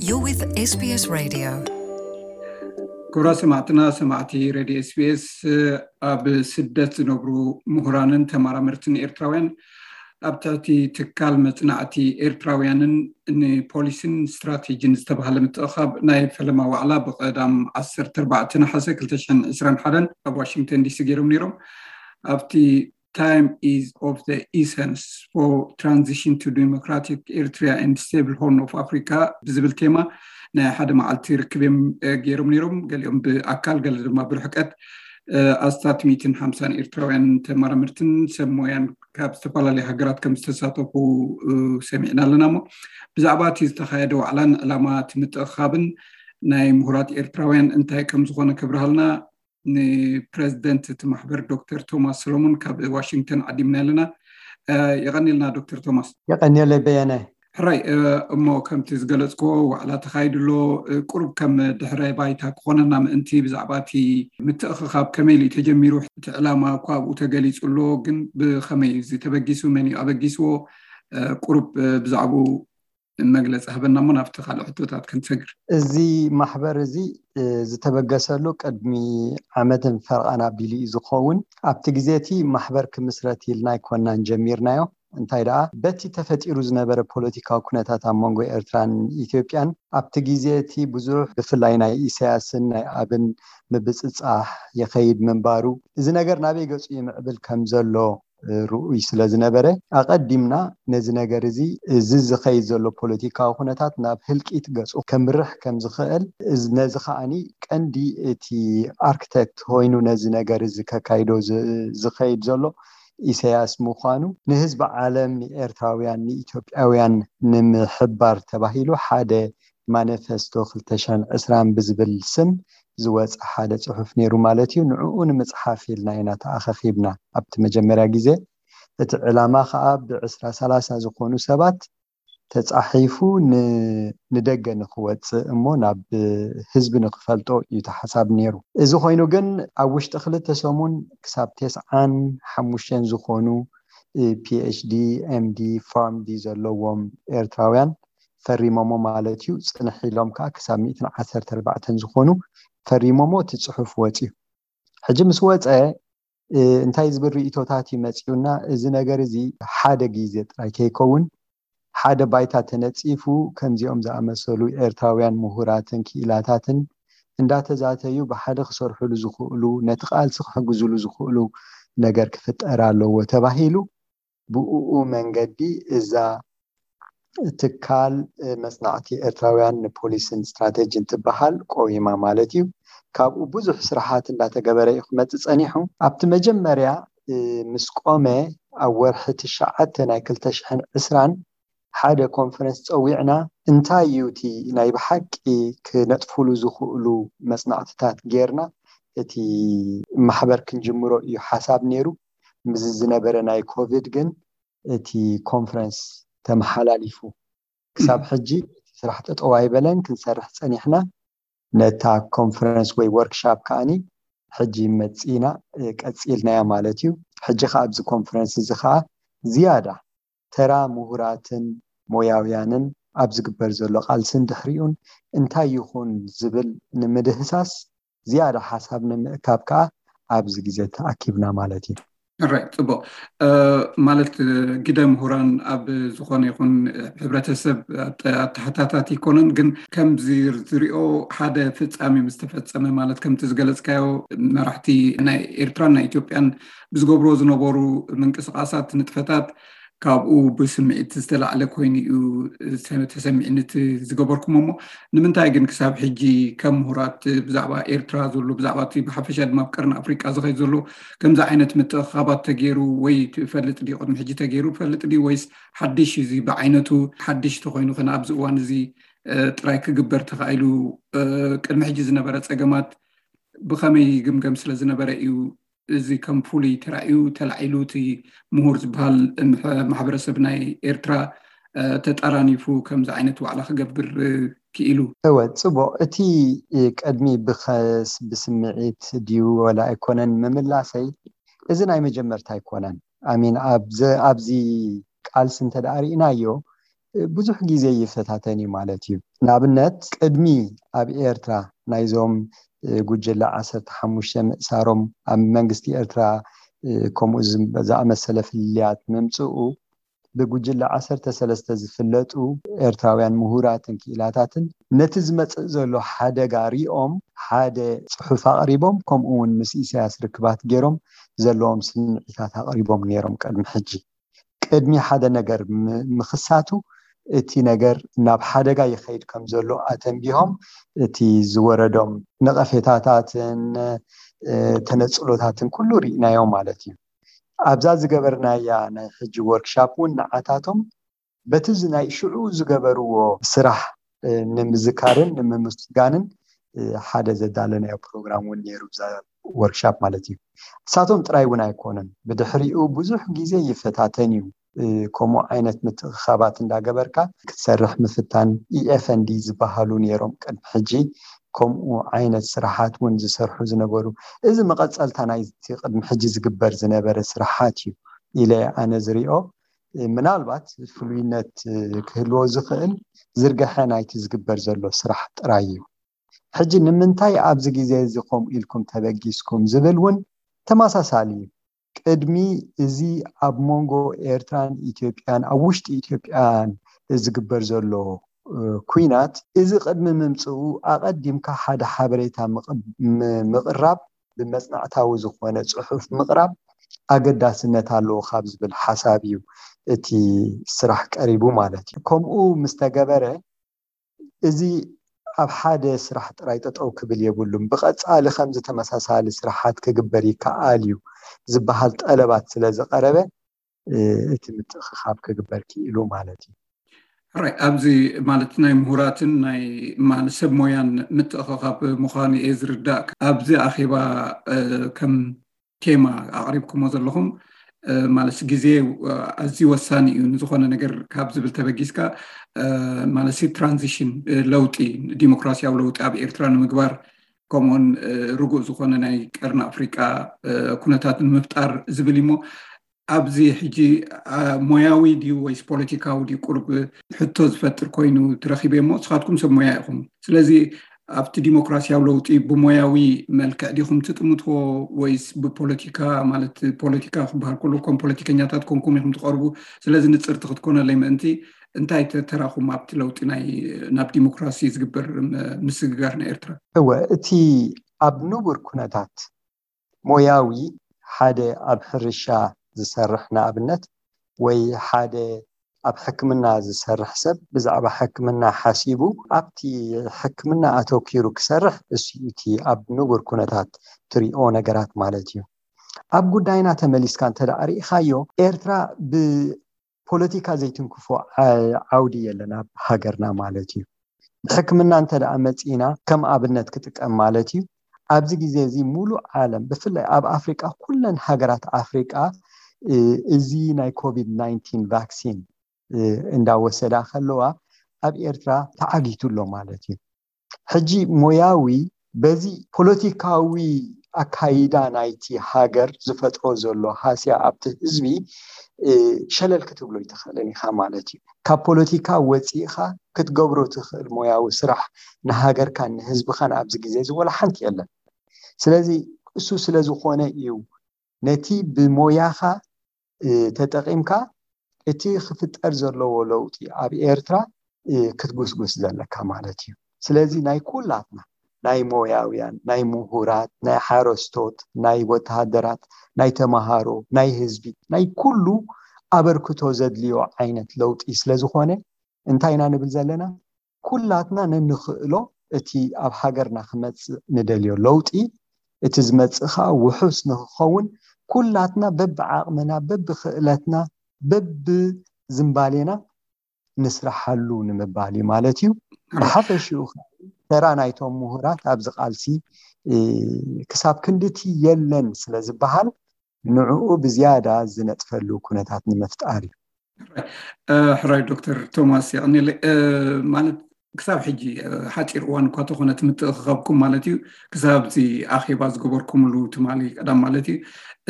You're with SBS Radio. ክቡራት ሰማዕትና፣ ሰማዕቲ ሬድዮ ኤስቢኤስ፣ ኣብ ስደት ዝነብሩ ምሁራንን ተመራመርትን ኤርትራውያን ኣብ ትሕቲ ትካል መጽናዕቲ ኤርትራውያንን ንፖሊሲን ስትራቴጂን ዝተባህለ ምትእኻብ ናይ ፈለማ ዋዕላ ብቐዳም ዓሰርተ ኣርባዕተ ነሓሰ ክልተ ሽሕን ዕስራን ሓደን ኣብ ዋሽንግተን ዲሲ ገይሮም ነይሮም። ኣብቲ Time is of the essence for transition to democratic Eritrea and stable Horn of Africa ብዝብል ቴማ ናይ ሓደ መዓልቲ ርክብ እዮም ገይሮም ነይሮም። ገሊኦም ብኣካል፣ ገለ ድማ ብርሕቀት። ኣስታት ሚእትን ሓምሳን ኤርትራውያን ተመራመርትን ሰብ ሞያን ካብ ዝተፈላለዩ ሃገራት ከም ዝተሳተፉ ሰሚዕና ኣለና። እሞ ብዛዕባ እቲ ዝተኻየደ ዋዕላን ዕላማ እቲ ምትእኻብን ናይ ምሁራት ኤርትራውያን እንታይ ከም ዝኾነ ከብርሃልና ንፕረዚደንት እቲ ማሕበር ዶክተር ቶማስ ሰሎሞን ካብ ዋሽንግተን ዓዲምና ኣለና። የቐኒልና ዶክተር ቶማስ። የቐኒለይ በየነ። ሕራይ። እሞ ከምቲ ዝገለፅኮ ዋዕላ ተኻይዱ ኣሎ። ቁሩብ ከም ድሕረ ባይታ ክኾነና ምእንቲ ብዛዕባ እቲ ምትእኽኻብ ከመይ ኢሉ ተጀሚሩ፣ እቲ ዕላማ እኳ ኣብኡ ተገሊፁ ኣሎ፣ ግን ብኸመይ እዩ ተበጊሱ፣ መን እዩ ኣበጊስዎ፣ ቁሩብ ብዛዕባኡ መግለፂ ሃበና እሞ ናብቲ ካልእ ሕቶታት ክንሰግር። እዚ ማሕበር እዚ ዝተበገሰሉ ቅድሚ ዓመትን ፈርቓን ኣቢሉ እዩ ዝኸውን። ኣብቲ ግዜ እቲ ማሕበር ክምስረት ኢልና ኣይኮናን ጀሚርናዮ። እንታይ ደኣ በቲ ተፈጢሩ ዝነበረ ፖለቲካዊ ኩነታት ኣብ መንጎ ኤርትራን ኢትዮጵያን ኣብቲ ግዜ እቲ ብዙሕ ብፍላይ ናይ ኢሳያስን ናይ ኣብን ምብጽጻሕ ይኸይድ ምንባሩ፣ እዚ ነገር ናበይ ገጹ ይምዕብል ከም ዘሎ ርኡይ ስለ ዝነበረ፣ ኣቐዲምና ነዚ ነገር እዚ፣ እዚ ዝኸይድ ዘሎ ፖለቲካዊ ኩነታት ናብ ህልቂት ገጹ ከምርሕ ከም ዝኽእል፣ ነዚ ከኣኒ ቀንዲ እቲ ኣርክቴክት ኮይኑ ነዚ ነገር እዚ ከካይዶ ዝኸይድ ዘሎ ኢሳያስ ምዃኑ ንህዝቢ ዓለም፣ ንኤርትራውያን፣ ንኢትዮጵያውያን ንምሕባር ተባሂሉ ሓደ ማኒፌስቶ ክልተ ሽሕን ዕስራን ብዝብል ስም ዝወፀ ሓደ ፅሑፍ ነይሩ ማለት እዩ። ንዕኡ ንምፅሓፍ ኢልና ኢና ተኣኻኺብና ኣብቲ መጀመርያ ግዜ። እቲ ዕላማ ከዓ ብዕስራ ሰላሳ ዝኾኑ ሰባት ተፃሒፉ ንደገ ንክወፅእ እሞ ናብ ህዝቢ ንክፈልጦ እዩ ተሓሳብ ነይሩ። እዚ ኮይኑ ግን ኣብ ውሽጢ ክልተ ሰሙን ክሳብ ተስዓን ሓሙሽተን ዝኾኑ ፒኤችዲ፣ ኤምዲ፣ ፋርምዲ ዘለዎም ኤርትራውያን ፈሪሞሞ ማለት እዩ። ፅንሕ ኢሎም ከዓ ክሳብ ሚእትን ዓሰርተ ኣርባዕተን ዝኾኑ ፈሪሞሞ እቲ ፅሑፍ ወፅዩ። ሕጂ ምስ ወፀ እንታይ ዝብል ርእቶታት እዩ መፅዩና? እዚ ነገር እዚ ሓደ ግዜ ጥራይ ከይከውን ሓደ ባይታ ተነፂፉ ከምዚኦም ዝኣመሰሉ ኤርትራውያን ምሁራትን ክኢላታትን እንዳተዛተዩ ብሓደ ክሰርሕሉ ዝኽእሉ፣ ነቲ ቃልሲ ክሕግዝሉ ዝኽእሉ ነገር ክፍጠር ኣለዎ ተባሂሉ። ብእኡ መንገዲ እዛ ትካል መጽናዕቲ ኤርትራውያን ንፖሊስን ስትራቴጂን ትበሃል ቆይማ ማለት እዩ። ካብኡ ብዙሕ ስራሓት እንዳተገበረ እዩ ክመጽእ ጸኒሑ። ኣብቲ መጀመርያ ምስ ቆመ ኣብ ወርሒ ትሽዓተ ናይ ክልተ ሽሕን ዕስራን ሓደ ኮንፈረንስ ጸዊዕና፣ እንታይ እዩ እቲ ናይ ብሓቂ ክነጥፍሉ ዝኽእሉ መጽናዕትታት ጌርና እቲ ማሕበር ክንጅምሮ እዩ ሓሳብ ነይሩ። ምስዚ ዝነበረ ናይ ኮቪድ ግን እቲ ኮንፈረንስ ተመሓላሊፉ። ክሳብ ሕጂ እቲ ስራሕ ጠጠው ኣይበለን፣ ክንሰርሕ ጸኒሕና። ነታ ኮንፈረንስ ወይ ወርክሻፕ ከኣኒ ሕጂ መጺና ቀጺልናያ ማለት እዩ። ሕጂ ከኣ ኣብዚ ኮንፈረንስ እዚ ከኣ ዝያዳ ተራ ምሁራትን ሞያውያንን ኣብ ዝግበር ዘሎ ቃልስን ድሕሪኡን እንታይ ይኹን ዝብል ንምድህሳስ ዝያዳ ሓሳብ ንምእካብ ከኣ ኣብዚ ግዜ ተኣኪብና ማለት እዩ። ራይ ፅቡቅ። ማለት ግደ ምሁራን ኣብ ዝኾነ ይኹን ሕብረተሰብ ኣተሓታታት ይኮነን፣ ግን ከምዚ ዝሪኦ ሓደ ፍፃሜ ምስ ተፈፀመ፣ ማለት ከምቲ ዝገለፅካዮ መራሕቲ ናይ ኤርትራን ናይ ኢትዮጵያን ብዝገብርዎ ዝነበሩ ምንቅስቃሳት፣ ንጥፈታት ካብኡ ብስምዒት ዝተላዕለ ኮይኑ እዩ ተሰሚዕኒ እቲ ዝገበርኩሞ። እሞ ንምንታይ ግን ክሳብ ሕጂ ከም ምሁራት ብዛዕባ ኤርትራ ዘሎ፣ ብዛዕባ እቲ ብሓፈሻ ድማ ኣብ ቀርኒ ኣፍሪቃ ዝኸይድ ዘሎ ከምዚ ዓይነት ምትእኻባት ተገይሩ ወይ ትፈልጥ ድዩ? ቅድሚ ሕጂ ተገይሩ ፈልጥ ድዩ? ወይስ ሓድሽ እዩ? እዚ ብዓይነቱ ሓድሽ ተኮይኑ ከ ኣብዚ እዋን እዚ ጥራይ ክግበር ተኻኢሉ? ቅድሚ ሕጂ ዝነበረ ጸገማት ብኸመይ ይግምገም ስለ ዝነበረ እዩ እዚ ከም ፍሉይ ተራእዩ ተላዒሉ እቲ ምሁር ዝበሃል ማሕበረሰብ ናይ ኤርትራ ተጠራኒፉ ከምዚ ዓይነት ዋዕላ ክገብር ክኢሉ? እወ፣ ጽቡቕ። እቲ ቅድሚ ብኸስ ብስምዒት ድዩ ወላ ኣይኮነን ምምላሰይ፣ እዚ ናይ መጀመርታ ኣይኮነን። ኣሚን ኣብዚ ቃልሲ እንተ ደኣ ርኢናዮ፣ ብዙሕ ግዜ ይፈታተን እዩ ማለት እዩ። ንኣብነት ቅድሚ ኣብ ኤርትራ ናይዞም ጉጅለ ዓሰርተ ሓሙሽተ ምእሳሮም ኣብ መንግስቲ ኤርትራ ከምኡ ዝኣመሰለ ፍልልያት ምምፅኡ ብጉጅለ ዓሰርተ ሰለስተ ዝፍለጡ ኤርትራውያን ምሁራትን ክኢላታትን ነቲ ዝመፅእ ዘሎ ሓደጋ ሪኦም ሓደ ፅሑፍ ኣቕሪቦም ከምኡ እውን ምስ ኢሳያስ ርክባት ገይሮም ዘለዎም ስምዒታት ኣቕሪቦም ነይሮም ቅድሚ ሕጂ። ቅድሚ ሓደ ነገር ምኽሳቱ እቲ ነገር ናብ ሓደጋ ይኸይድ ከም ዘሎ ኣተንቢሆም እቲ ዝወረዶም ነቐፌታታትን ተነፅሎታትን ኩሉ ርኢናዮ ማለት እዩ። ኣብዛ ዝገበርናያ ናይ ሕጂ ወርክሻፕ እውን ንዓታቶም በቲ ናይ ሽዑ ዝገበርዎ ስራሕ ንምዝካርን ንምምስጋንን ሓደ ዘዳለናዮ ፕሮግራም እውን ነይሩ። ወርክሻፕ ማለት እዩ። እሳቶም ጥራይ እውን ኣይኮነን፣ ብድሕሪኡ ብዙሕ ግዜ ይፈታተን እዩ። ከምኡ ዓይነት ምትእኻባት እንዳገበርካ ክትሰርሕ ምፍታን። ኢኤፍኤንዲ ዝበሃሉ ነይሮም ቅድሚ ሕጂ ከምኡ ዓይነት ስራሓት እውን ዝሰርሑ ዝነበሩ። እዚ መቐፀልታ ናይቲ ቅድሚ ሕጂ ዝግበር ዝነበረ ስራሓት እዩ ኢለ ኣነ ዝሪኦ። ምናልባት ፍሉይነት ክህልዎ ዝኽእል ዝርግሐ ናይቲ ዝግበር ዘሎ ስራሕ ጥራይ እዩ። ሕጂ ንምንታይ ኣብዚ ግዜ እዚ ከምኡ ኢልኩም ተበጊስኩም ዝብል እውን ተመሳሳሊ እዩ። ቅድሚ እዚ ኣብ መንጎ ኤርትራን ኢትዮጵያን ኣብ ውሽጢ ኢትዮጵያን ዝግበር ዘሎ ኩናት እዚ ቅድሚ ምምፅኡ ኣቐዲምካ ሓደ ሓበሬታ ምቕራብ ብመፅናዕታዊ ዝኾነ ፅሑፍ ምቕራብ ኣገዳስነት ኣለዎ ካብ ዝብል ሓሳብ እዩ እቲ ስራሕ ቀሪቡ ማለት እዩ። ከምኡ ምስ ተገበረ እዚ ኣብ ሓደ ስራሕ ጥራይ ጠጠው ክብል የብሉን፣ ብቐፃሊ ከምዚ ተመሳሳሊ ስራሓት ክግበር ይከኣል እዩ ዝበሃል ጠለባት ስለ ዝቐረበ እቲ ምትእኽኻብ ክግበር ክኢሉ ማለት እዩ። ሕራይ ኣብዚ ማለት ናይ ምሁራትን ናይ ማለት ሰብ ሞያን ምትእኽኻብ ምዃኑ እየ ዝርዳእ። ኣብዚ ኣኼባ ከም ቴማ ኣቕሪብኩሞ ዘለኹም ማለት ግዜ ኣዝዩ ወሳኒ እዩ ንዝኾነ ነገር ካብ ዝብል ተበጊስካ ማለት ትራንዚሽን ለውጢ ዲሞክራሲያዊ ለውጢ ኣብ ኤርትራ ንምግባር ከምኡውን ርጉእ ዝኾነ ናይ ቀርኒ ኣፍሪቃ ኩነታት ንምፍጣር ዝብል እሞ ኣብዚ ሕጂ ሞያዊ ድዩ ወይስ ፖለቲካዊ ድዩ ቁሩብ ሕቶ ዝፈጥር ኮይኑ ትረኺበ እሞ ንስኻትኩም ሰብ ሞያ ኢኹም። ስለዚ ኣብቲ ዲሞክራሲያዊ ለውጢ ብሞያዊ መልክዕ ዲኹም ትጥምትዎ ወይስ ብፖለቲካ ማለት ፖለቲካ ክበሃል ከሎ ከም ፖለቲከኛታት ኮንኩም ኢኹም ትቐርቡ። ስለዚ ንፅርቲ ክትኮነለይ ምእንቲ እንታይ ተራኹም ኣብቲ ለውጢ ናይ ናብ ዲሞክራሲ ዝግበር ምስግጋር ናይ ኤርትራ? እወ፣ እቲ ኣብ ንቡር ኩነታት ሞያዊ ሓደ ኣብ ሕርሻ ዝሰርሕ ንኣብነት ወይ ሓደ ኣብ ሕክምና ዝሰርሕ ሰብ ብዛዕባ ሕክምና ሓሲቡ ኣብቲ ሕክምና ኣተኪሩ ክሰርሕ እሱ እቲ ኣብ ንቡር ኩነታት ትሪኦ ነገራት ማለት እዩ። ኣብ ጉዳይና ተመሊስካ እንተ ደኣ ርኢኻዮ ኤርትራ ብፖለቲካ ዘይትንክፎ ዓውዲ የለን ኣብ ሃገርና ማለት እዩ። ብሕክምና እንተ ደኣ መጺእና ከም ኣብነት ክጥቀም ማለት እዩ። ኣብዚ ግዜ እዚ ሙሉእ ዓለም ብፍላይ ኣብ ኣፍሪቃ ኩለን ሃገራት ኣፍሪቃ እዚ ናይ ኮቪድ ናይንቲን ቫክሲን እንዳወሰዳ ከለዋ ኣብ ኤርትራ ተዓጊቱ ኣሎ ማለት እዩ። ሕጂ ሞያዊ በዚ ፖለቲካዊ ኣካይዳ ናይቲ ሃገር ዝፈጥሮ ዘሎ ሃስያ ኣብቲ ህዝቢ ሸለል ክትብሎ ይትኽእልን ኢኻ ማለት እዩ። ካብ ፖለቲካ ወፂእኻ ክትገብሮ ትኽእል ሞያዊ ስራሕ ንሃገርካን ንህዝብኻን ኣብዚ ግዜ እዚ ወላ ሓንቲ የለን። ስለዚ እሱ ስለ ዝኾነ እዩ ነቲ ብሞያኻ ተጠቒምካ እቲ ክፍጠር ዘለዎ ለውጢ ኣብ ኤርትራ ክትጉስጉስ ዘለካ ማለት እዩ። ስለዚ ናይ ኩላትና ናይ ሞያውያን፣ ናይ ምሁራት፣ ናይ ሓረስቶት፣ ናይ ወተሃደራት፣ ናይ ተምሃሮ፣ ናይ ህዝቢ፣ ናይ ኩሉ ኣበርክቶ ዘድልዮ ዓይነት ለውጢ ስለ ዝኾነ እንታይ ኢና ንብል ዘለና? ኩላትና ነንኽእሎ እቲ ኣብ ሃገርና ክመፅእ ንደልዮ ለውጢ እቲ ዝመፅእ ከዓ ውሑስ ንክኸውን ኩላትና በብዓቕምና በብክእለትና በብዝምባሌና ንስራሓሉ ንምባል እዩ ማለት እዩ። ብሓፈሽኡ ተራ ናይቶም ምሁራት ኣብዚ ቃልሲ ክሳብ ክንድቲ የለን ስለ ዝበሃል ንዕኡ ብዝያዳ ዝነጥፈሉ ኩነታት ንምፍጣር እዩ። ሕራይ ዶክተር ቶማስ የቐኒለ ማለት ክሳብ ሕጂ ሓፂር እዋን እኳ ተኾነ ትምትእኽኻብኩም ማለት እዩ ክሳብ እዚ ኣኼባ ዝገበርኩምሉ ትማሊ ቀዳም ማለት እዩ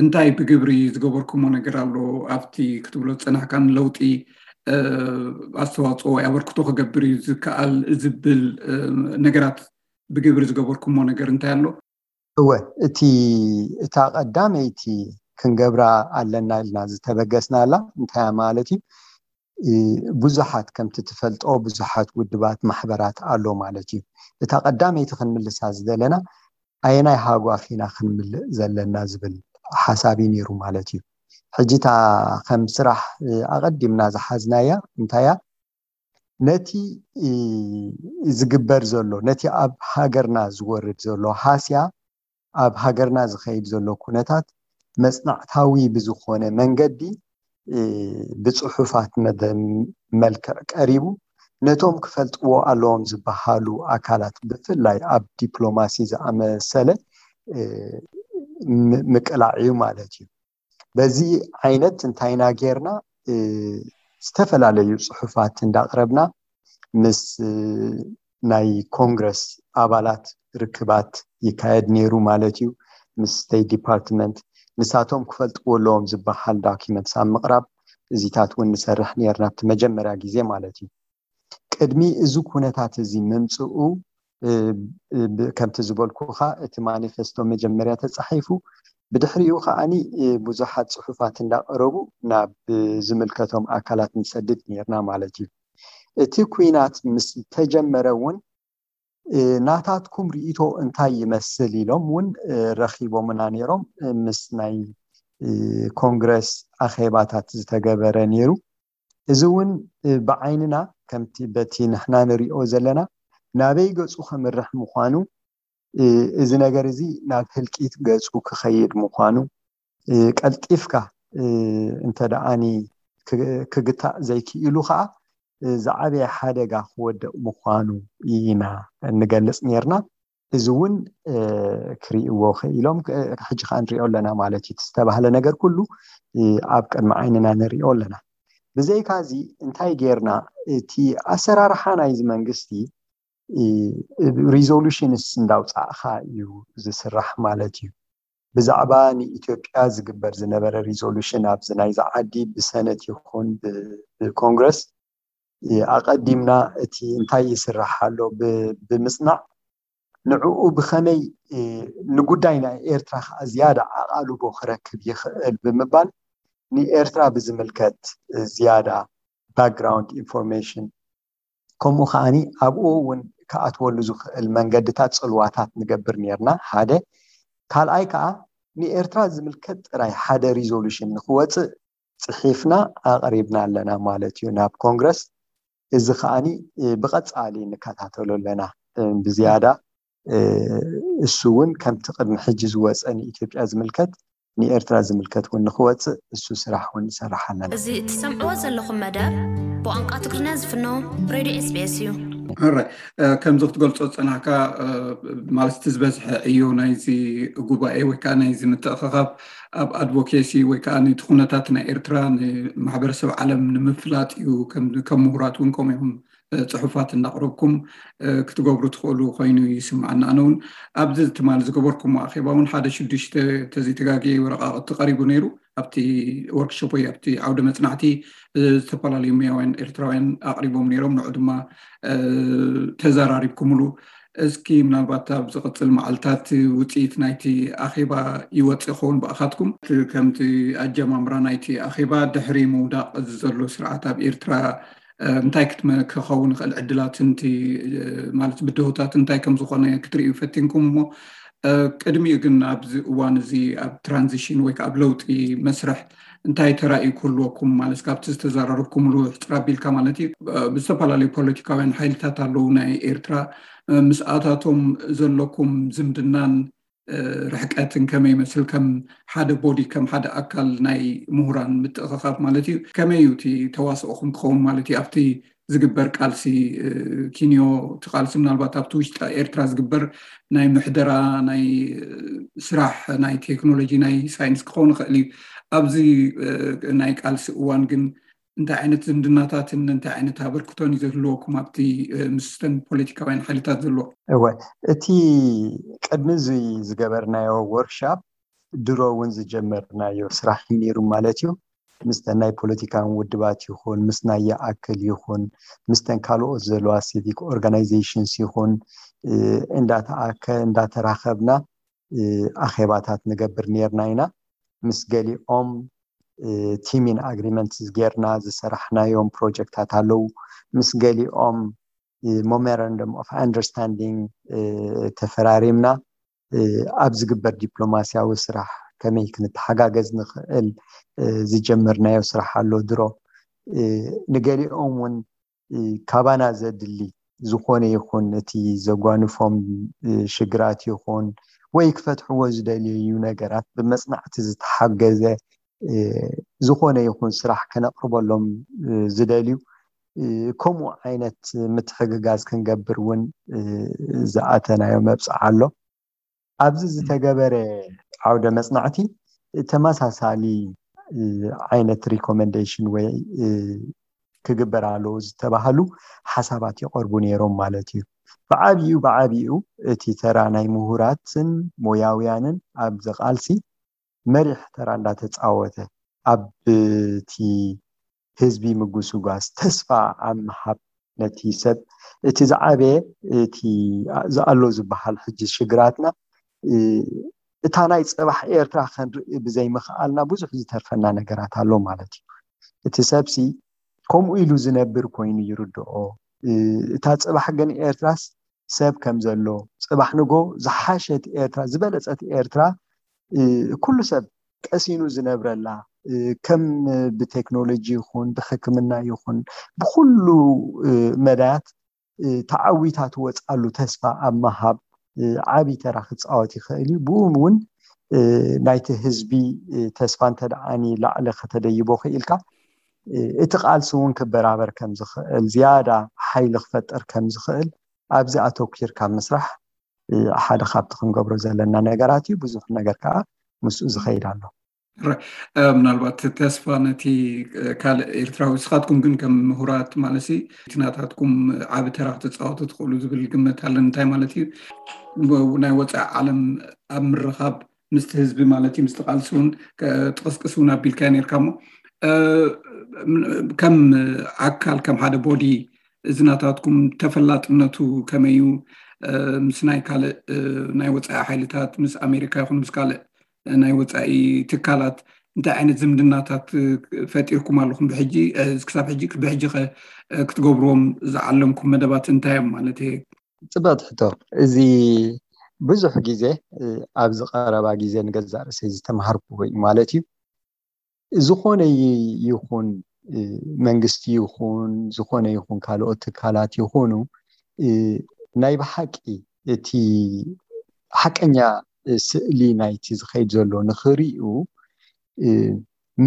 እንታይ ብግብሪ ዝገበርኩሞ ነገር ኣሎ ኣብቲ ክትብሎ ዝፀናሕካን ለውጢ ኣስተዋፅኦ ወይ ኣበርክቶ ክገብር እዩ ዝከኣል ዝብል ነገራት ብግብሪ ዝገበርኩሞ ነገር እንታይ ኣሎ? እወ፣ እቲ እታ ቀዳመይቲ ክንገብራ ኣለና ኢልና ዝተበገስናላ እንታይ ማለት እዩ? ብዙሓት ከምቲ ትፈልጦ ብዙሓት ውድባት ማሕበራት ኣሎ ማለት እዩ። እታ ቀዳመይቲ ክንምልሳ ዝደለና ኣየናይ ሃጓፍ ኢና ክንምልእ ዘለና ዝብል ሓሳብ እዩ ነይሩ ማለት እዩ። ሕጂ እታ ከም ስራሕ ኣቐዲምና ዝሓዝናያ እንታያ ነቲ ዝግበር ዘሎ ነቲ ኣብ ሃገርና ዝወርድ ዘሎ ሃስያ ኣብ ሃገርና ዝኸይድ ዘሎ ኩነታት መፅናዕታዊ ብዝኾነ መንገዲ ብፅሑፋት መልክዕ ቀሪቡ ነቶም ክፈልጥዎ ኣለዎም ዝበሃሉ ኣካላት ብፍላይ ኣብ ዲፕሎማሲ ዝኣመሰለ ምቅላዕ እዩ ማለት እዩ። በዚ ዓይነት እንታይና ጌርና ዝተፈላለዩ ፅሑፋት እንዳቅረብና ምስ ናይ ኮንግረስ ኣባላት ርክባት ይካየድ ነይሩ ማለት እዩ። ምስ ስቴት ዲፓርትመንት ንሳቶም ክፈልጥዎ ኣለዎም ዝበሃል ዳኪመንትስ ኣብ ምቕራብ እዚታት እውን ንሰርሕ ነርና ኣብቲ መጀመርያ ግዜ ማለት እዩ። ቅድሚ እዚ ኩነታት እዚ ምምፅኡ ከምቲ ዝበልኩኻ እቲ ማኒፌስቶ መጀመርያ ተፃሒፉ ብድሕሪኡ ከዓኒ ብዙሓት ፅሑፋት እንዳቀረቡ ናብ ዝምልከቶም ኣካላት ንሰድድ ነርና ማለት እዩ። እቲ ኩናት ምስ ተጀመረ እውን ናታትኩም ርእቶ እንታይ ይመስል ኢሎም እውን ረኪቦምና ነይሮም። ምስ ናይ ኮንግረስ ኣኼባታት ዝተገበረ ነይሩ። እዚ እውን ብዓይንና ከምቲ በቲ ንሕና ንሪኦ ዘለና ናበይ ገፁ ከምርሕ ምዃኑ፣ እዚ ነገር እዚ ናብ ህልቂት ገፁ ክኸይድ ምዃኑ ቀልጢፍካ እንተ ደኣኒ ክግታእ ዘይክኢሉ ከዓ ዝዓበየ ሓደጋ ክወድቕ ምዃኑ ኢና እንገልፅ ነርና። እዚ እውን ክርእይዎ ክኢሎም ሕጂ ከዓ ንሪኦ ኣለና ማለት እዩ። ዝተባህለ ነገር ኩሉ ኣብ ቅድሚ ዓይንና ንሪኦ ኣለና። ብዘይካ እዚ እንታይ ጌርና እቲ ኣሰራርሓ ናይዚ መንግስቲ ሪዞሉሽንስ እንዳውፃእካ እዩ ዝስራሕ ማለት እዩ። ብዛዕባ ንኢትዮጵያ ዝግበር ዝነበረ ሪዞሉሽን ኣብዚ ናይዚ ዓዲ ብሰነት ይኹን ብኮንግረስ ኣቐዲምና እቲ እንታይ ይስራሕ ኣሎ ብምፅናዕ ንዕኡ ብኸመይ ንጉዳይ ናይ ኤርትራ ከዓ ዝያዳ ኣቓልቦ ክረክብ ይኽእል ብምባል ንኤርትራ ብዝምልከት ዝያዳ ባክግራውንድ ኢንፎርሜሽን ከምኡ ከዓኒ ኣብኡ እውን ክኣትወሉ ዝኽእል መንገድታት ፅልዋታት ንገብር ነርና ሓደ። ካልኣይ ከዓ ንኤርትራ ዝምልከት ጥራይ ሓደ ሪዞሉሽን ንክወፅእ ፅሒፍና ኣቕሪብና ኣለና ማለት እዩ ናብ ኮንግረስ። እዚ ከዓኒ ብቐፃሊ ንከታተሎ ኣለና ብዝያዳ እሱ እውን ከምቲ ቅድሚ ሕጂ ዝወፀ ንኢትዮጵያ ዝምልከት ንኤርትራ ዝምልከት እውን ንክወፅእ እሱ ስራሕ እውን ንሰርሕ ኣለና። እዚ ትሰምዕዎ ዘለኹም መደብ ብቋንቋ ትግርኛ ዝፍኖ ሬድዮ ኤስቢኤስ እዩ። ራይ ከምዚ ክትገልፆ ዝፀናሕካ ማለት እቲ ዝበዝሐ ዕዮ ናይዚ ጉባኤ ወይ ከዓ ናይዚ ምትእኸኻብ ኣብ ኣድቮኬሲ ወይ ከዓ ነቲ ኩነታት ናይ ኤርትራ ንማሕበረሰብ ዓለም ንምፍላጥ እዩ። ከም ምሁራት እውን ከምኡ ኢኹም ፅሑፋት እናቕረብኩም ክትገብሩ ትኽእሉ ኮይኑ ይስምዓና። ኣነ እውን ኣብዚ ትማሊ ዝገበርኩሞ ኣኼባ እውን ሓደ ሽዱሽተ ተዘይተጋግየ ወረቃቕቲ ቀሪቡ ነይሩ። ኣብቲ ወርክሾፕ ወይ ኣብቲ ዓውደ መፅናዕቲ ዝተፈላለዩ ሙያውያን ኤርትራውያን ኣቕሪቦም ነይሮም። ንዑ ድማ ተዘራሪብኩምሉ። እስኪ ምናልባት ኣብ ዝቕፅል መዓልታት ውፅኢት ናይቲ ኣኼባ ይወፅእ ይኸውን ብኣኻትኩም። ከምቲ ኣጀማምራ ናይቲ ኣኼባ ድሕሪ ምውዳቕ እዚ ዘሎ ስርዓት ኣብ ኤርትራ እንታይ ክትመ ክኸውን ይኽእል ዕድላት ንቲ ማለት ብድሆታት እንታይ ከም ዝኾነ ክትርእዩ ፈቲንኩም እሞ ቅድሚኡ ግን ኣብዚ እዋን እዚ ኣብ ትራንዚሽን ወይ ከዓ ኣብ ለውጢ መስርሕ እንታይ ተራእዩ ክህልወኩም ማለት ካብቲ ዝተዘራረብኩምሉ ሕፅር ኣቢልካ ማለት እዩ ብዝተፈላለዩ ፖለቲካውያን ሓይልታት ኣለዉ ናይ ኤርትራ ምስኣታቶም ዘለኩም ዝምድናን ርሕቀትን ከመይ ይመስል ከም ሓደ ቦዲ ከም ሓደ ኣካል ናይ ምሁራን ምትእኸኻብ ማለት እዩ ከመይ እዩ እቲ ተዋስኦኹም ክኸውን ማለት እዩ ኣብቲ ዝግበር ቃልሲ ኪንዮ እቲ ቃልሲ ምናልባት ኣብቲ ውሽጢ ኤርትራ ዝግበር ናይ ምሕደራ ናይ ስራሕ ናይ ቴክኖሎጂ ናይ ሳይንስ ክኸውን ይኽእል እዩ ኣብዚ ናይ ቃልሲ እዋን ግን እንታይ ዓይነት ዝምድናታትን እንታይ ዓይነት ኣበርክቶን እዩ ዝህልወኩም ኣብቲ ምስተን ፖለቲካውያን ሓይልታት ዘሎ እወ እቲ ቅድሚ እዚ ዝገበርናዮ ወርክሻፕ ድሮ እውን ዝጀመርናዮ ስራሕ እዩ ነይሩ ማለት እዩ ምስተን ናይ ፖለቲካን ውድባት ይኹን ምስ ናይ ይኣክል ይኹን ምስተን ካልኦት ዘለዋ ሲቪክ ኦርጋናይዜሽንስ ይኹን እንዳተኣከ እንዳተራኸብና ኣኼባታት ንገብር ነርና ኢና። ምስ ገሊኦም ቲሚን ኣግሪመንት ጌርና ዝሰራሕናዮም ፕሮጀክታት ኣለዉ። ምስ ገሊኦም ሞመራንደም ኦፍ ኣንደርስታንዲንግ ተፈራሪምና ኣብ ዝግበር ዲፕሎማሲያዊ ስራሕ ከመይ ክንተሓጋገዝ ንኽእል ዝጀመርናዮ ስራሕ ኣሎ ድሮ። ንገሊኦም እውን ካባና ዘድሊ ዝኾነ ይኹን እቲ ዘጓንፎም ሽግራት ይኹን ወይ ክፈትሕዎ ዝደልዩ ነገራት ብመፅናዕቲ ዝተሓገዘ ዝኾነ ይኹን ስራሕ ከነቕርበሎም ዝደልዩ ከምኡ ዓይነት ምትሕግጋዝ ክንገብር እውን ዝኣተናዮ መብፅዓ ኣሎ። ኣብዚ ዝተገበረ ዓውደ መፅናዕቲ ተመሳሳሊ ዓይነት ሪኮመንዴሽን ወይ ክግበር ኣለዎ ዝተባህሉ ሓሳባት ይቐርቡ ነይሮም ማለት እዩ። ብዓብይኡ ብዓብይኡ እቲ ተራ ናይ ምሁራትን ሞያውያንን ኣብዚ ቃልሲ መሪሕ ተራ እንዳተፃወተ ኣብቲ ህዝቢ ምጉስጓስ ተስፋ ኣብ ምሃብ ነቲ ሰብ እቲ ዝዓበየ እቲ ዝኣሎ ዝበሃል ሕጂ ሽግራትና እታ ናይ ፅባሕ ኤርትራ ከንርኢ ብዘይምኽኣልና ብዙሕ ዝተርፈና ነገራት ኣሎ ማለት እዩ። እቲ ሰብሲ ከምኡ ኢሉ ዝነብር ኮይኑ ይርድኦ። እታ ፅባሕ ግን ኤርትራስ ሰብ ከም ዘሎ ፅባሕ ንጎ ዝሓሸት ኤርትራ ዝበለፀት ኤርትራ ኩሉ ሰብ ቀሲኑ ዝነብረላ ከም ብቴክኖሎጂ ይኹን ብሕክምና ይኹን ብኩሉ መዳያት ተዓዊታ ትወፅኣሉ ተስፋ ኣብ ምሃብ ዓብዪ ተራ ክፃወት ይኽእል እዩ። ብኡ እውን ናይቲ ህዝቢ ተስፋ እንተደኣኒ ላዕሊ ከተደይቦ ክኢልካ እቲ ቃልሲ እውን ክበራበር ከም ዝኽእል ዝያዳ ሓይሊ ክፈጥር ከም ዝኽእል ኣብዚ ኣተኪርካ ምስራሕ ሓደ ካብቲ ክንገብሮ ዘለና ነገራት እዩ። ብዙሕ ነገር ከዓ ምስኡ ዝኸይድ ኣሎ። ምናልባት ተስፋ ነቲ ካልእ ኤርትራዊ ስኻትኩም ግን ከም ምሁራት ማለሲ እቲ ናታትኩም ዓቢ ተራ ክትፃወቱ ትኽእሉ ዝብል ግምት ኣለን። እንታይ ማለት እዩ ናይ ወፃኢ ዓለም ኣብ ምርኻብ ምስቲ ህዝቢ ማለት እዩ ምስቲ ቃልሲ እውን ጥቕስቅስ እውን ኣቢልካ ነርካ እሞ ከም ኣካል ከም ሓደ ቦዲ እዚ ናታትኩም ተፈላጥነቱ ከመይ እዩ ምስ ናይ ካልእ ናይ ወፃኢ ሓይልታት ምስ ኣሜሪካ ይኹን ምስ ካልእ ናይ ወፃኢ ትካላት እንታይ ዓይነት ዝምድናታት ፈጢርኩም ኣለኹም ብሕጂ ክሳብ ሕጂ ብሕጂ ክትገብርዎም ዝዓለምኩም መደባት እንታይ እዮም ማለት እየ ፅበቅ ትሕቶ እዚ ብዙሕ ግዜ ኣብዚ ቀረባ ግዜ ንገዛእ ርእሰይ ዝተምሃርኩዎ እዩ ማለት እዩ ዝኾነ ይኹን መንግስቲ ይኹን ዝኾነ ይኹን ካልኦት ትካላት ይኹኑ ናይ ብሓቂ እቲ ሓቀኛ ስእሊ ናይቲ ዝኸይድ ዘሎ ንኽርእዩ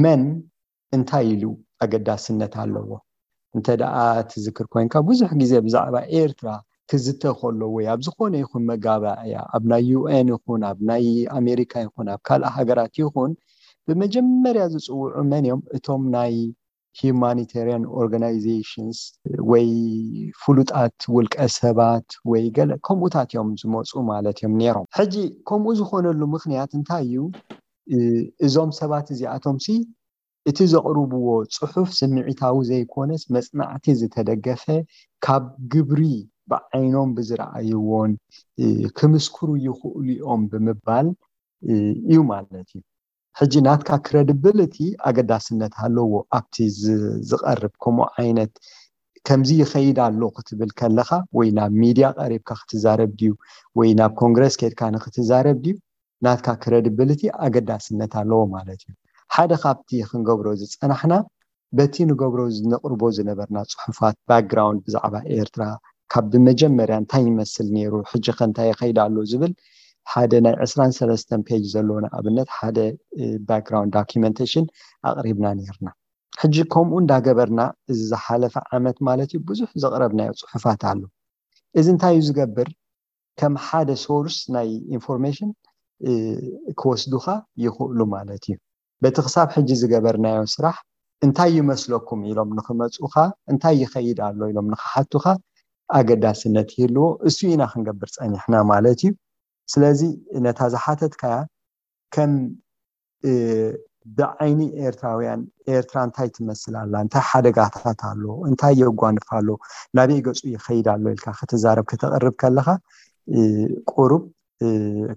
መን እንታይ ኢሉ ኣገዳስነት ኣለዎ እንተ ደኣ ትዝክር ኮይንካ ብዙሕ ግዜ ብዛዕባ ኤርትራ ክዝተ ከሎ ወይ ኣብ ዝኾነ ይኹን መጋባእያ ኣብ ናይ ዩኤን ይኹን ኣብ ናይ ኣሜሪካ ይኹን ኣብ ካልእ ሃገራት ይኹን ብመጀመርያ ዝፅውዑ መን እዮም እቶም ናይ humanitarian organizations ወይ ፍሉጣት ውልቀ ሰባት ወይ ገለ ከምኡታት እዮም ዝመፁ ማለት እዮም ነይሮም ሕጂ ከምኡ ዝኾነሉ ምክንያት እንታይ እዩ እዞም ሰባት እዚኣቶም ሲ እቲ ዘቕርብዎ ጽሑፍ ስምዒታዊ ዘይኮነስ መጽናዕቲ ዝተደገፈ ካብ ግብሪ ብዓይኖም ብዝረኣይዎን ክምስክሩ ይኽእሉ እዮም ብምባል እዩ ማለት እዩ። ሕጂ ናትካ ክረድብልቲ ኣገዳስነት ኣለዎ ኣብቲ ዝቐርብ ከምኡ ዓይነት ከምዚ ይኸይድ ኣሎ ክትብል ከለኻ ወይ ናብ ሚድያ ቀሪብካ ክትዛረብ ድዩ ወይ ናብ ኮንግረስ ከድካ ንክትዛረብ ድዩ ናትካ ክረድብልቲ ኣገዳስነት ኣለዎ ማለት እዩ። ሓደ ካብቲ ክንገብሮ ዝፀናሕና በቲ ንገብሮ ነቕርቦ ዝነበርና ፅሑፋት ባክግራውንድ ብዛዕባ ኤርትራ ካብ ብመጀመርያ እንታይ ይመስል ነይሩ ሕጂ ከ እንታይ ይኸይድ ኣሎ ዝብል ሓደ ናይ ዕስራን ሰለስተን ፔጅ ዘለዎ ንኣብነት ሓደ ባክግራውንድ ዶኪመንቴሽን ኣቕሪብና ነይርና። ሕጂ ከምኡ እንዳገበርና እዚ ዝሓለፈ ዓመት ማለት እዩ ብዙሕ ዘቕረብናዮ ፅሑፋት ኣሎ። እዚ እንታይ እዩ ዝገብር? ከም ሓደ ሶርስ ናይ ኢንፎርሜሽን ክወስዱኻ ይኽእሉ ማለት እዩ። በቲ ክሳብ ሕጂ ዝገበርናዮ ስራሕ እንታይ ይመስለኩም ኢሎም ንክመፁኻ እንታይ ይኸይድ ኣሎ ኢሎም ንክሓቱኻ ኣገዳስነት ይህልዎ። እሱ ኢና ክንገብር ፀኒሕና ማለት እዩ። ስለዚ ነታ ዝሓተትካያ ከም ብዓይኒ ኤርትራውያን ኤርትራ እንታይ ትመስል ኣላ፣ እንታይ ሓደጋታት ኣሎ፣ እንታይ የጓንፍ ኣሎ፣ ናበይ ገጹ ይኸይድ ኣሎ ኢልካ ክትዛረብ ከተቕርብ ከለኻ ቁሩብ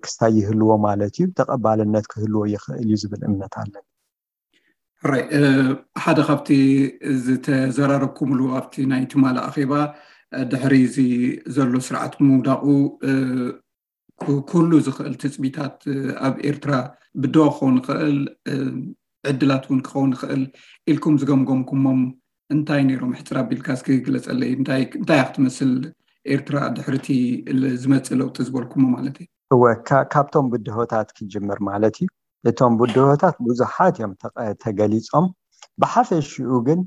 ክስታይ ይህልዎ ማለት እዩ፣ ተቐባልነት ክህልዎ ይኽእል እዩ ዝብል እምነት ኣለኒ። ሕራይ ሓደ ካብቲ ዝተዘራረብኩምሉ ኣብቲ ናይ ትማሊ ኣኼባ ድሕሪ እዚ ዘሎ ስርዓት ምውዳቑ ኩሉ ዝኽእል ትፅቢታት ኣብ ኤርትራ ብዶ ክኸውን ይኽእል፣ ዕድላት እውን ክኸውን ይኽእል ኢልኩም ዝገምገምኩሞም እንታይ ነይሮም? ሕፅር ኣቢልካ እስኪ ግለፀለይ። እንታይ እያ ክትመስል ኤርትራ ድሕርቲ ዝመፅእ ለውጢ ዝበልኩሞ ማለት እዩ? እወ፣ ካብቶም ብድሆታት ክጅምር ማለት እዩ። እቶም ብድሆታት ብዙሓት እዮም ተገሊፆም። ብሓፈሽኡ ግን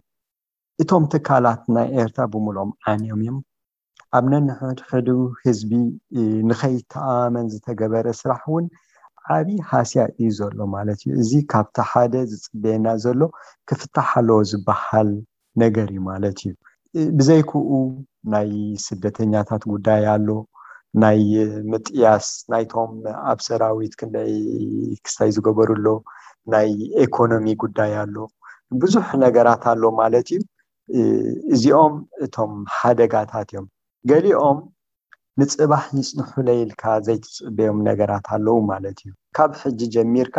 እቶም ትካላት ናይ ኤርትራ ብምሎም ዓንዮም እዮም። ኣብ ነንሕድሕዱ ህዝቢ ንኸይተኣማመን ዝተገበረ ስራሕ እውን ዓብዪ ሃስያ እዩ ዘሎ ማለት እዩ። እዚ ካብቲ ሓደ ዝፅበየና ዘሎ ክፍታሕ ኣለዎ ዝበሃል ነገር እዩ ማለት እዩ። ብዘይክኡ ናይ ስደተኛታት ጉዳይ ኣሎ፣ ናይ ምጥያስ ናይቶም ኣብ ሰራዊት ክንደይ ክስታይ ዝገበሩ ኣሎ፣ ናይ ኢኮኖሚ ጉዳይ ኣሎ፣ ብዙሕ ነገራት ኣሎ ማለት እዩ። እዚኦም እቶም ሓደጋታት እዮም። ገሊኦም ንፅባሕ ይፅንሑለይ ኢልካ ዘይትፅበዮም ነገራት ኣለዉ ማለት እዩ። ካብ ሕጂ ጀሚርካ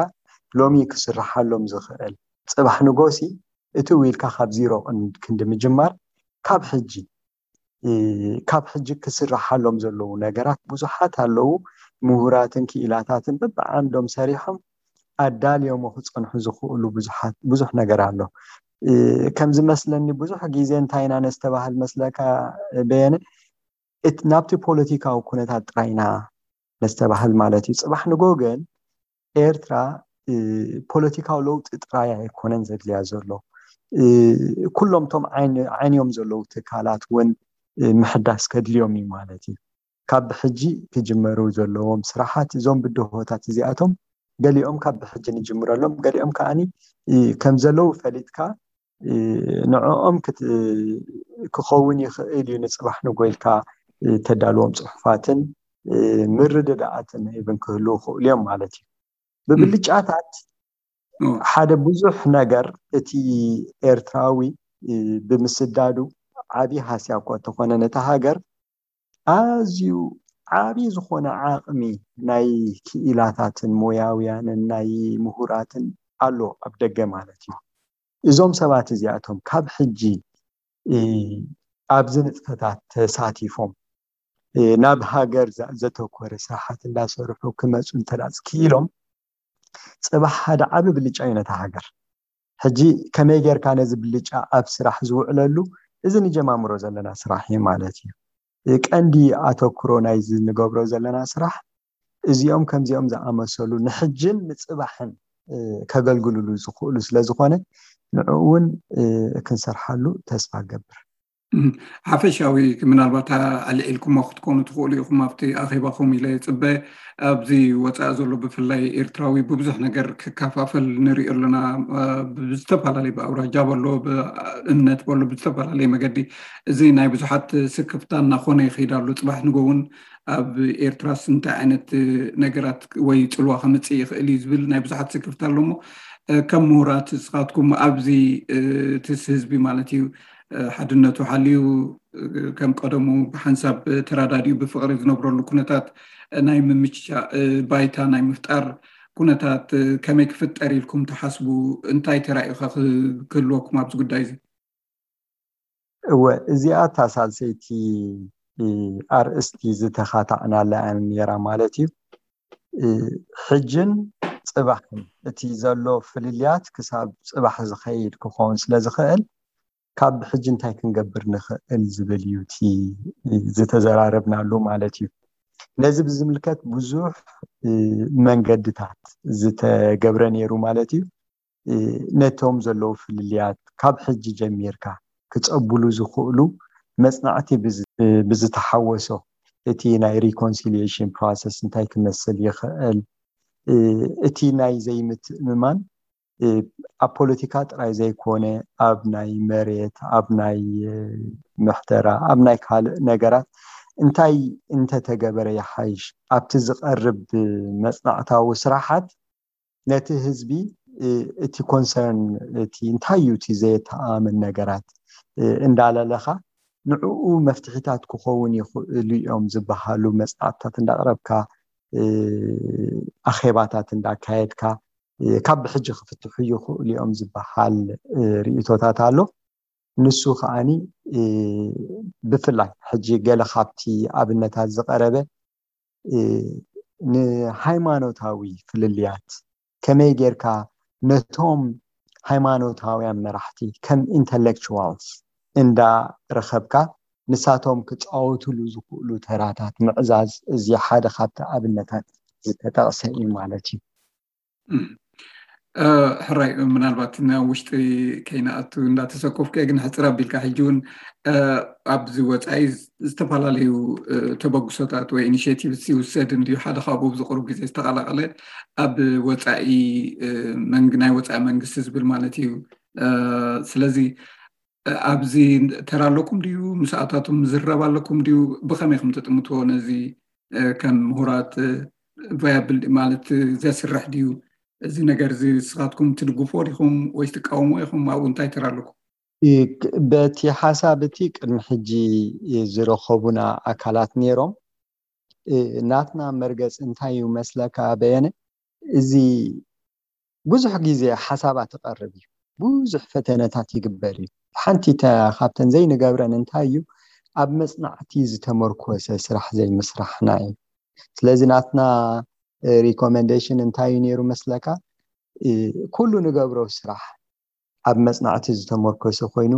ሎሚ ክስርሓሎም ዝኽእል፣ ፅባሕ ንጎሲ እቲ ኢልካ ካብ ዚሮ ክንዲ ምጅማር ካብ ሕጂ ካብ ሕጂ ክስርሓሎም ዘለዉ ነገራት ብዙሓት ኣለዉ። ምሁራትን ክኢላታትን በብዓንዶም ሰሪሖም ኣዳልዮሞ ክፀንሑ ዝኽእሉ ብዙሕ ነገር ኣሎ። ከም ዝመስለኒ ብዙሕ ግዜ እንታይ ኢና ነስተባህል መስለካ በየነ? ናብቲ ፖለቲካዊ ኩነታት ጥራይ ኢና ነስተባህል ማለት እዩ። ፅባሕ ንጎ ግን ኤርትራ ፖለቲካዊ ለውጢ ጥራይ ኣይኮነን ዘድልያ ዘሎ። ኩሎም ቶም ዓይንዮም ዘለዉ ትካላት እውን ምሕዳስ ከድልዮም እዩ ማለት እዩ። ካብ ብሕጂ ክጅመሩ ዘለዎም ስራሓት እዞም ብድሆታት እዚኣቶም ገሊኦም ካብ ብሕጂ ንጅምረሎም፣ ገሊኦም ከዓኒ ከም ዘለዉ ፈሊጥካ ንዕኦም ክኸውን ይኽእል እዩ ንፅባሕ ንጎ ኢልካ ተዳልዎም ፅሑፋትን ምርድዳኣትን ኢቭን ክህልዉ ይኽእሉ እዮም ማለት እዩ። ብብልጫታት ሓደ ብዙሕ ነገር እቲ ኤርትራዊ ብምስዳዱ ዓብዪ ሃስያ እኳ እንተኾነ ነታ ሃገር ኣዝዩ ዓብዪ ዝኾነ ዓቕሚ ናይ ክኢላታትን ሞያውያንን ናይ ምሁራትን ኣሎ ኣብ ደገ ማለት እዩ። እዞም ሰባት እዚኣቶም ካብ ሕጂ ኣብዚ ንጥፈታት ተሳቲፎም ናብ ሃገር ዘተኮረ ስራሓት እንዳሰርሑ ክመፁ እንተዳፅ ክኢሎም ፅባሕ ሓደ ዓቢ ብልጫ እዩ ነታ ሃገር። ሕጂ ከመይ ጌርካ ነዚ ብልጫ ኣብ ስራሕ ዝውዕለሉ እዚ ንጀማምሮ ዘለና ስራሕ እዩ ማለት እዩ። ቀንዲ ኣተኩሮ ናይዚ ንገብሮ ዘለና ስራሕ እዚኦም ከምዚኦም ዝኣመሰሉ ንሕጅን ንፅባሕን ከገልግሉሉ ዝኽእሉ ስለዝኾነ ንዕኡ እውን ክንሰርሓሉ ተስፋ ገብር። ሓፈሻዊ ምናልባት ኣልዒልኩሞ ክትኮኑ ትኽእሉ ኢኹም ኣብቲ ኣኼባኹም ኢለ ይፅበ። ኣብዚ ወፃኢ ዘሎ ብፍላይ ኤርትራዊ ብብዙሕ ነገር ክከፋፈል ንሪኦ ኣለና። ብዝተፈላለየ ብኣውራጃ በሎ ብእምነት በሎ ብዝተፈላለየ መገዲ እዚ ናይ ብዙሓት ስክፍታ እናኾነ ይኸይድ ኣሎ። ፅባሕ ንጎ እውን ኣብ ኤርትራስ እንታይ ዓይነት ነገራት ወይ ፅልዋ ከምፅእ ይኽእል እዩ ዝብል ናይ ብዙሓት ስክፍታ ኣሎ። እሞ ከም ምሁራት ንስኻትኩም ኣብዚ እቲ ህዝቢ ማለት እዩ ሓድነቱ ሓልዩ ከም ቀደሙ ብሓንሳብ ተራዳዲኡ ብፍቕሪ ዝነብረሉ ኩነታት ናይ ምምችቻእ ባይታ ናይ ምፍጣር ኩነታት ከመይ ክፍጠር ኢልኩም ትሓስቡ? እንታይ ተራኢኻ ክህልወኩም ኣብዚ ጉዳይ እዚ? እወ፣ እዚኣ እታ ሳልሰይቲ ኣርእስቲ ዝተኻታዕናላ ነይራ ማለት እዩ። ሕጅን ፅባሕን እቲ ዘሎ ፍልልያት ክሳብ ፅባሕ ዝኸይድ ክኸውን ስለ ዝኽእል ካብ ብሕጂ እንታይ ክንገብር ንኽእል ዝብል እዩ እቲ ዝተዘራረብናሉ ማለት እዩ። ነዚ ብዝምልከት ብዙሕ መንገድታት ዝተገብረ ነይሩ ማለት እዩ። ነቶም ዘለዉ ፍልልያት ካብ ሕጂ ጀሚርካ ክፀብሉ ዝኽእሉ መፅናዕቲ ብዝተሓወሶ እቲ ናይ ሪኮንሲሊየሽን ፕሮሰስ እንታይ ክመስል ይኽእል፣ እቲ ናይ ዘይምትእምማን ኣብ ፖለቲካ ጥራይ ዘይኮነ ኣብ ናይ መሬት፣ ኣብ ናይ ምሕደራ፣ ኣብ ናይ ካልእ ነገራት እንታይ እንተተገበረ ይሓይሽ ኣብቲ ዝቐርብ መፅናዕታዊ ስራሓት ነቲ ህዝቢ እቲ ኮንሰርን እቲ እንታይ እዩ እቲ ዘየተኣማምን ነገራት እንዳለለኻ ንዕኡ መፍትሒታት ክኸውን ይኽእሉ እዮም ዝበሃሉ መፅናዕትታት እንዳቕረብካ ኣኼባታት እንዳካየድካ ካብ ብሕጂ ክፍትሑ ይኽእሉ እዮም ዝበሃል ርእይቶታት ኣሎ። ንሱ ከዓኒ ብፍላይ ሕጂ ገለ ካብቲ ኣብነታት ዝቐረበ ንሃይማኖታዊ ፍልልያት ከመይ ጌርካ ነቶም ሃይማኖታውያን መራሕቲ ከም ኢንተሌክቹዋልስ እንዳረኸብካ ንሳቶም ክፃወቱሉ ዝኽእሉ ተራታት ምዕዛዝ እዚ ሓደ ካብቲ ኣብነታት ዝተጠቕሰ እዩ ማለት እዩ። ሕራይ ምናልባት ናብ ውሽጢ ከይንኣቱ እንዳተሰኮፍኩ ግን ሕፅር ኣቢልካ ሕጂ እውን ኣብዚ ወፃኢ ዝተፈላለዩ ተበግሶታት ወይ ኢኒሽቲቭስ ይውሰድ እንድዩ ሓደ ካብኡ ኣብዚ ቅሩብ ግዜ ዝተቀላቀለ ኣብ ወፃኢ ናይ ወፃኢ መንግስቲ ዝብል ማለት እዩ። ስለዚ ኣብዚ ተራ ኣለኩም ድዩ? ምስኣታቱም ዝረብ ኣለኩም ድዩ? ብኸመይ ከም ትጥምትዎ ነዚ ከም ምሁራት ቫያብል ማለት ዘስርሕ ድዩ እዚ ነገር እዚ? ንስኻትኩም ትድግፎ ዲኹም ወይስ ትቃወሞ ኢኹም? ኣብኡ እንታይ ተራ ኣለኩም? በቲ ሓሳብ እቲ ቅድሚ ሕጂ ዝረኸቡና ኣካላት ነይሮም። ናትና መርገፂ እንታይ እዩ መስለካ በየነ? እዚ ብዙሕ ግዜ ሓሳባት ይቐርብ እዩ፣ ብዙሕ ፈተነታት ይግበር እዩ። ሓንቲ ካብተን ዘይንገብረን እንታይ እዩ ኣብ መፅናዕቲ ዝተመርኮሰ ስራሕ ዘይምስራሕና እዩ። ስለዚ ናትና ሪኮመንዴሽን እንታይ እዩ ነይሩ መስለካ? ኩሉ ንገብሮ ስራሕ ኣብ መፅናዕቲ ዝተመርኮሰ ኮይኑ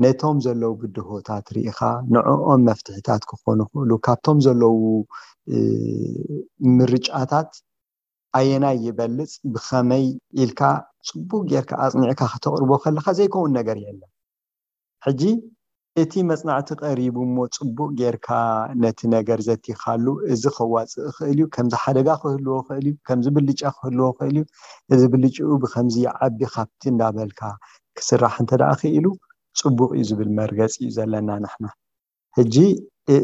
ነቶም ዘለዉ ብድሆታት ርኢኻ ንዕኦም መፍትሒታት ክኾኑ ይኽእሉ ካብቶም ዘለዉ ምርጫታት ኣየናይ ይበልፅ ብኸመይ ኢልካ ፅቡቅ ጌርካ ኣፅኒዕካ ከተቕርቦ ከለካ ዘይከውን ነገር የለን። ሕጂ እቲ መፅናዕቲ ቀሪቡ እሞ ፅቡቅ ጌርካ ነቲ ነገር ዘቲኻሉ እዚ ከዋፅእ ይኽእል እዩ፣ ከምዚ ሓደጋ ክህልዎ ይኽእል እዩ፣ ከምዚ ብልጫ ክህልዎ ይኽእል እዩ፣ እዚ ብልጭኡ ብከምዚ ይዓቢ ካብቲ እንዳበልካ ክስራሕ እንተ ደኣ ክኢሉ ፅቡቅ እዩ ዝብል መርገፂ እዩ ዘለና ንሕና። ሕጂ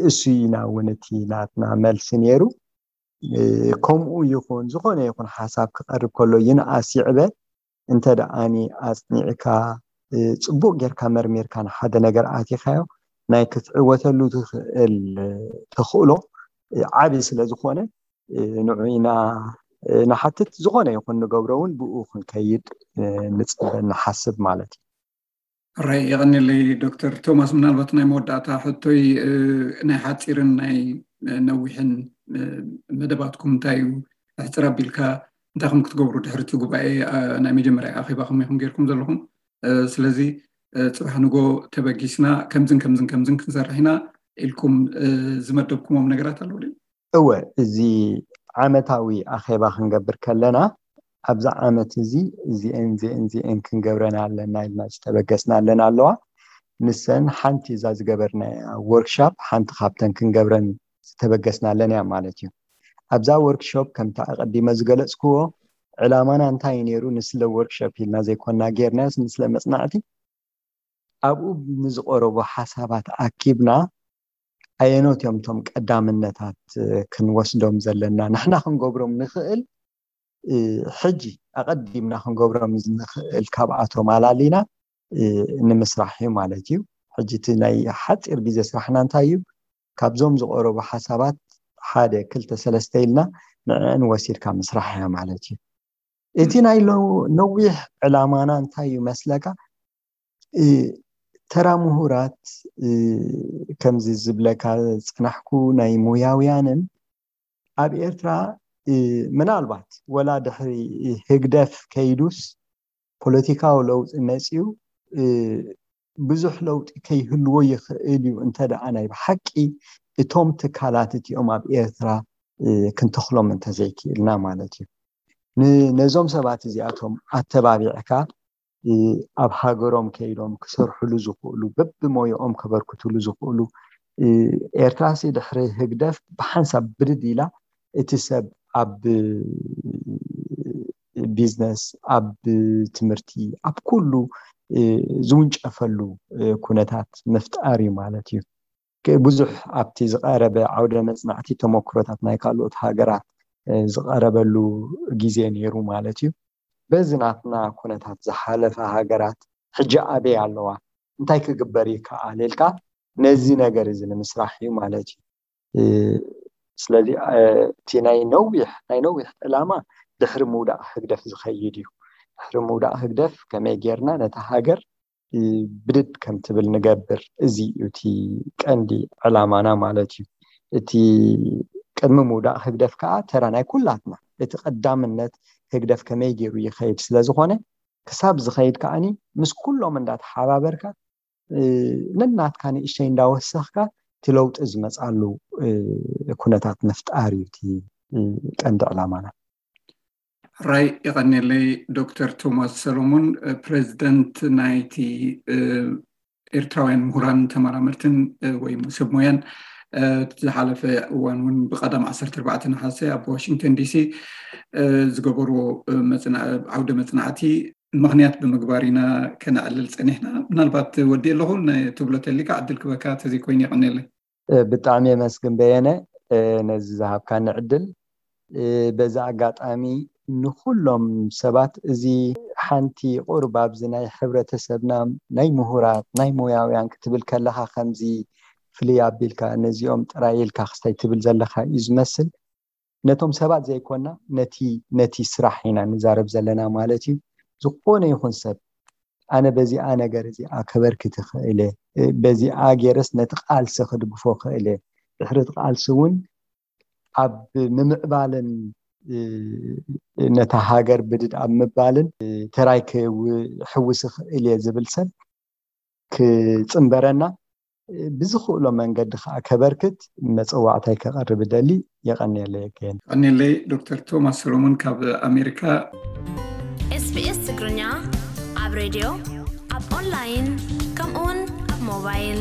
እሱ ኢና እውን እቲ ናትና መልሲ ነይሩ። ከምኡ ይኹን ዝኾነ ይኹን ሓሳብ ክቐርብ ከሎ ይንኣስ ይዕበ እንተ ደኣኒ ኣፅኒዕካ ፅቡቅ ጌርካ መርሚርካ ንሓደ ነገር ኣቲኻዮ ናይ ክትዕወተሉ ትኽእል ተኽእሎ ዓቢ ስለ ዝኾነ ንዑ ኢና ንሓትት። ዝኾነ ይኹን ንገብሮ እውን ብኡ ክንከይድ ንፅበ ንሓስብ ማለት እዩ። ራይ የቐኒለይ ዶክተር ቶማስ። ምናልባት ናይ መወዳእታ ሕቶይ ናይ ሓፂርን ናይ ነዊሕን መደባትኩም እንታይ እዩ? ሕፅር ኣቢልካ እንታይ ከም ክትገብሩ ድሕርቲ ጉባኤ ናይ መጀመርያ ኣኼባ ከመይ ከም ጌርኩም ዘለኹም? ስለዚ ፅባሕ ንጎ ተበጊስና ከምዝን ከምዝን ከምዝን ክንሰርሕ ኢና ኢልኩም ዝመደብኩሞም ነገራት ኣለዉ ድዩ? እወ፣ እዚ ዓመታዊ ኣኼባ ክንገብር ከለና ኣብዛ ዓመት እዚ እዚአን እዚአን እዚአን ክንገብረን ኣለና ኢልና ዝተበገስና ኣለና ኣለዋ። ንሰን ሓንቲ እዛ ዝገበርናያ ወርክሻፕ ሓንቲ ካብተን ክንገብረን ዝተበገስና ኣለና እያ ማለት እዩ። ኣብዛ ወርክሾፕ ከምቲ ኣቐዲመ ዝገለፅክዎ ዕላማና እንታይ እዩ ነይሩ? ንስለ ወርክሾፕ ኢልና ዘይኮና ጌርናዮስ ንስለ መፅናዕቲ ኣብኡ ንዝቐረቡ ሓሳባት ኣኪብና ኣየኖት እዮም እቶም ቀዳምነታት ክንወስዶም ዘለና ንሕና ክንገብሮም ንኽእል ሕጂ ኣቐዲምና ክንገብሮም ንኽእል ካብኣቶም ኣላሊና ንምስራሕ እዩ ማለት እዩ። ሕጂ እቲ ናይ ሓፂር ግዜ ስራሕና እንታይ እዩ? ካብዞም ዝቐረቡ ሓሳባት ሓደ ክልተ ሰለስተ ኢልና ንዕአን ወሲድካ ምስራሕ እያ ማለት እዩ። እቲ ናይ ነዊሕ ዕላማና እንታይ እዩ መስለካ? ተራ ምሁራት ከምዚ ዝብለካ ዝፀናሕኩ ናይ ሙያውያንን ኣብ ኤርትራ ምናልባት ወላ ድሕሪ ህግደፍ ከይዱስ ፖለቲካዊ ለውጢ መፅዩ ብዙሕ ለውጢ ከይህልዎ ይኽእል እዩ እንተ ደኣ ናይ ብሓቂ እቶም ትካላት እቲኦም ኣብ ኤርትራ ክንተኽሎም እንተዘይክእልና ማለት እዩ። ነዞም ሰባት እዚኣቶም ኣተባቢዕካ ኣብ ሃገሮም ከይዶም ክሰርሕሉ ዝኽእሉ በብሞይኦም ከበርክትሉ ዝኽእሉ ኤርትራሲ ድሕሪ ህግደፍ ብሓንሳብ ብድድ ኢላ እቲ ሰብ ኣብ ቢዝነስ ኣብ ትምህርቲ ኣብ ኩሉ ዝውንጨፈሉ ኩነታት ምፍጣር እዩ ማለት እዩ። ብዙሕ ኣብቲ ዝቐረበ ዓውደ መፅናዕቲ ተመክሮታት ናይ ካልኦት ሃገራት ዝቐረበሉ ግዜ ነይሩ ማለት እዩ። በዚ ናትና ኩነታት ዝሓለፈ ሃገራት ሕጂ ኣበይ ኣለዋ፣ እንታይ ክግበር ይከኣል ኢልካ ነዚ ነገር እዚ ንምስራሕ እዩ ማለት እዩ። ስለዚ እቲ ናይ ነዊሕ ናይ ነዊሕ ዕላማ ድሕሪ ምውዳቕ ህግደፍ ዝኸይድ እዩ። ድሕሪ ምውዳቕ ህግደፍ ከመይ ጌርና ነታ ሃገር ብድድ ከም ትብል ንገብር፣ እዚ እዩ እቲ ቀንዲ ዕላማና ማለት እዩ። እቲ ቅድሚ ምውዳቕ ህግደፍ ከዓ ተራ ናይ ኩላትና፣ እቲ ቀዳምነት ህግደፍ ከመይ ገይሩ ይኸይድ ስለ ዝኾነ፣ ክሳብ ዝኸይድ ከዓኒ ምስ ኩሎም እንዳተሓባበርካ ነናትካ ንእሽተይ እንዳወሰኽካ እቲ ለውጢ ዝመፅኣሉ ኩነታት ምፍጣር እዩ እቲ ቀንዲ ዕላማና። ራይ ይቐኔለይ። ዶክተር ቶማስ ሰሎሞን፣ ፕሬዚደንት ናይቲ ኤርትራውያን ምሁራን ተመራመርትን ወይ ሰብ ሞያን ዝሓለፈ እዋን እውን ብቀዳም ዓሰርተ ኣርባዕተ ነሓሰ ኣብ ዋሽንግተን ዲሲ ዝገበርዎ ዓውደ መፅናዕቲ ምኽንያት ብምግባር ኢና ከነዕልል ፀኒሕና። ምናልባት ወዲ ኣለኹ ትብሎ ተሊካ ዕድል ክበካ ተዘይኮይኑ ይቐኔለይ። ብጣዕሚ የመስግን በየነ ነዚ ዝሃብካኒ ዕድል። በዚ ኣጋጣሚ ንኩሎም ሰባት እዚ ሓንቲ ቁርብ ኣብዚ ናይ ሕብረተሰብና ናይ ምሁራት ናይ ሞያውያን ክትብል ከለካ ከምዚ ፍልይ ኣቢልካ ነዚኦም ጥራይ ኢልካ ክስታይ ትብል ዘለካ እዩ ዝመስል። ነቶም ሰባት ዘይኮና ነቲ ነቲ ስራሕ ኢና ንዛረብ ዘለና ማለት እዩ። ዝኾነ ይኹን ሰብ ኣነ በዚኣ ነገር እዚኣ ከበርክት ይኽእል እየ፣ በዚኣ ገይረስ ነቲ ቃልሲ ክድግፎ ይኽእል እየ፣ ድሕሪ እቲ ቃልሲ እውን ኣብ ምምዕባልን ነታ ሃገር ብድድ ኣብ ምባልን ተራይ ክሕውስ ይኽእል እየ ዝብል ሰብ ክፅንበረና ብዝኽእሎ መንገዲ ከዓ ከበርክት መፀዋዕታይ ከቐርብ ደሊ። የቐንየለይ። የቀን ቀንየለይ። ዶክተር ቶማስ ሰሎሞን ካብ ኣሜሪካ። ኤስቢኤስ ትግርኛ ኣብ ሬድዮ ኣብ ኦንላይን ከምኡውን ኣብ ሞባይል